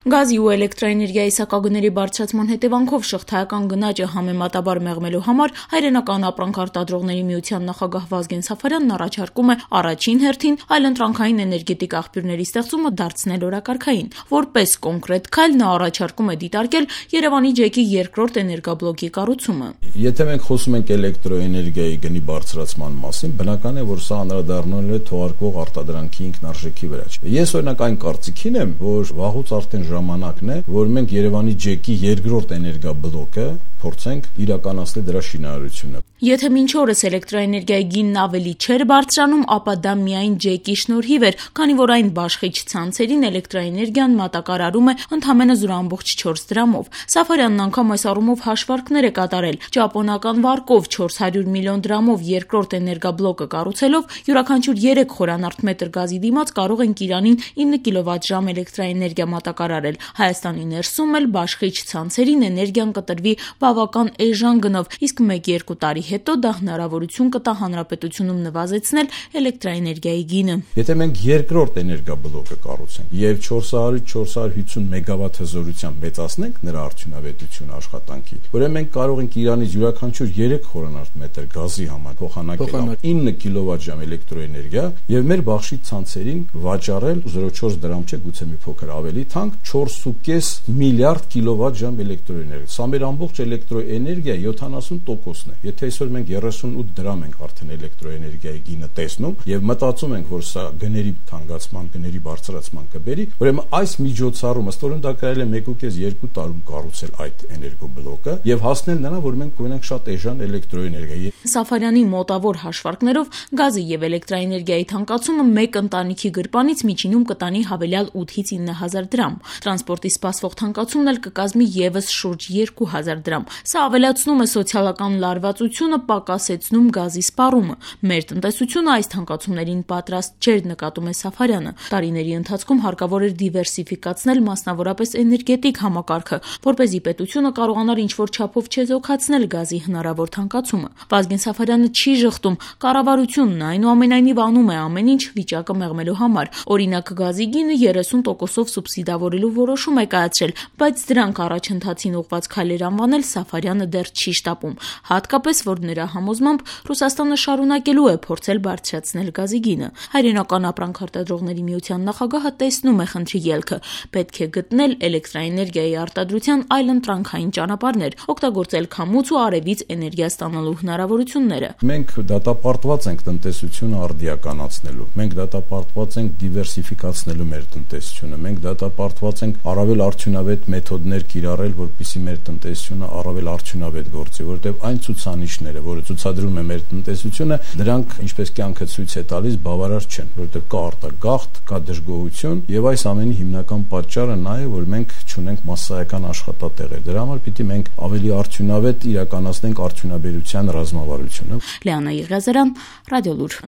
Գազի ու էլեկտրաէներգիայի սակագների բարձրացման հետևանքով շղթայական գնաճը համեմատաբար մեղմելու համար Հայրենական ապրանք արտադրողների միության նախագահ Վազգեն Սաֆարյանն առաջարկում է առաջին հերթին այլընտրանքային էներգետիկ աղբյուրների ստեղծումը դարձնել օրակարգային։ Որպես կոնկրետ քայլ նա առաջարկում է դիտարկել Երևանի ջեկի երկրորդ էներգաբլոկի կառուցումը։ Եթե մենք խոսում ենք էլեկտրոէներգիայի գնի բարձրացման մասին, բնական է, որ սա անդրադառնալու է թողարկվող արտադրանքի ինքնարժեքի վրա։ Ես օրինակ այն կարծիքին եմ, որ վաղուց արդեն ժամանակն է, որ մենք Երևանի ջեկի երկրորդ էներգաբլոկը փորձենք իրականացնել դրա շինարարությունը։ Եթե մինչ օրս էլեկտրաէներգիայի գինն ավելի չէր բարձրանում, ապա դա միայն ջեկի շնորհիվ էր, քանի որ այն բաշխիչ ցանցերին էլեկտրաէներգիան մատակարարում է ընդամենը 0.4 դրամով։ Սաֆարյանն անգամ այս առումով հաշվարկներ է կատարել։ Ճապոնական վարկով 400 միլիոն դրամով երկրորդ էներգաբլոկը կառուցելով յուրաքանչյուր 3 խորանարդ մետր գազի դիմաց կարող ենք Իրանին 9 կիլովատժամ էլեկտրաէներգիա մատակարարել։ Հայաստանի ներսում էլ բաշխիչ ցանցերին էներգիան կտրվի բավական էժան գնով, իսկ 1-2 տարի հետո դա հնարավորություն կտա հանրապետությունում նվազեցնել էլեկտրաէներգիայի գինը։ Եթե մենք երկրորդ էներգաբլոկը կառուցենք եւ 400-450 մեգավատ հզորությամբ մեծացնենք նրա արդյունավետությունը աշխատանքի, ուրեմն մենք կարող ենք Իրանից յուրաքանչյուր 3 խորանարդ մետր գազի համար փոխանակել 9 կիլովատժամ էլեկտրոէներգիա եւ մեր բաշխիչ ցանցերին վաճառել 0.4 դրամ չէ, գուցե մի փոքր ավելի թանկ 4.5 միլիարդ կիլովատժամ էլեկտրոէներգիա։ Սա մեր ամբողջ էլեկտրոէներգիայի 70%-ն է։ Եթե այսօր մենք 38 դրամ ենք արդեն էլեկտրոէներգիայի գինը տեսնում եւ մտածում ենք, որ սա գների թանկացման, գների բարձրացման կբերի, ուրեմն այս միջոցառումը ստորեն դա կարելի է 1.5-2 տարում կառուցել այդ էներգոբլոկը եւ հասնել նրան, որ մենք կունենանք շատ էժան էլեկտրոէներգիա։ Սաֆարյանի մոտավոր հաշվարկներով գազի եւ էլեկտրաէներգիայի թանկացումը մեկ ընտանիքի գրպանից միջինում կտանի հավելյալ 8-ից 9,000 դրամ։ Տրանսպորտի սպասվող թանկացումն էլ կկազմի եւս շուրջ 2,000 դրամ։ Սա ավելացնում է սոցիալական լարվածությունը, պակասեցնում գազի սպառումը։ Մեր տնտեսությունը այս թանկացումներին պատրաստ չէր, նկատում է Սաֆարյանը։ Տարիների ընթացքում հարկավոր էր դիվերսիֆիկացնել մասնավորապես էներգետիկ համակարգը, որպեսզի պետությունը կարողանար ինչ-որ չափով չեզոքացնել գազի հնարավոր թանկացումը։ Վազգեն Սաֆարյանը չի ժխտում, կառավարությունն այնուամենայնիվ անում է ամեն ինչ վիճակը մեղմելու համար։ Օրինակ, գազի գինը 30%-ով սուբսիդավորելու որոշում է կայացրել, բայց դրանք առաջընթացին ուղղված քայլեր անվանել Սաֆարյանը դեռ չի շտապում, հատկապես որ նրա համոզմամբ Ռուսաստանը շարունակելու է փորձել բարձրացնել գազի գինը։ Հայրենական ապրանք արտադրողների միության նախագահը տեսնում է խնդրի ելքը։ Պետք է գտնել էլեկտրաէներգիայի արտադրության այլընտրանքային ճանապարհներ, օգտագործել քամուց ու արևից էներգիա ստանալու հնարավորությունները։ Մենք դատապարտված ենք տնտեսությունը արդիականացնելու։ Մենք դատապարտված ենք դիվերսիֆիկացնելու մեր տնտեսությունը։ Մենք դատապարտված ենք առավել արդյունավետ մեթոդներ կիրառել, որպեսզի մեր տնտեսությունը առավել արդյունավետ գործի, որովհետև այն ցուցանիշները, որը ցուցադրում է մեր տնտեսությունը, դրանք, ինչպես կյանքը ցույց է տալիս, բավարար չեն, որովհետև կա արտագաղթ, կա դժգոհություն, եւ այս ամենի հիմնական պատճառը նա է, որ մենք չունենք մասսայական աշխատատեղեր։ Դրա համար պիտի մենք ավելի արդյունավետ իրականացնենք արդյունաբերության ռազմավարությունը։ Լիանա Եղիազարյան, Ռադիոլուր։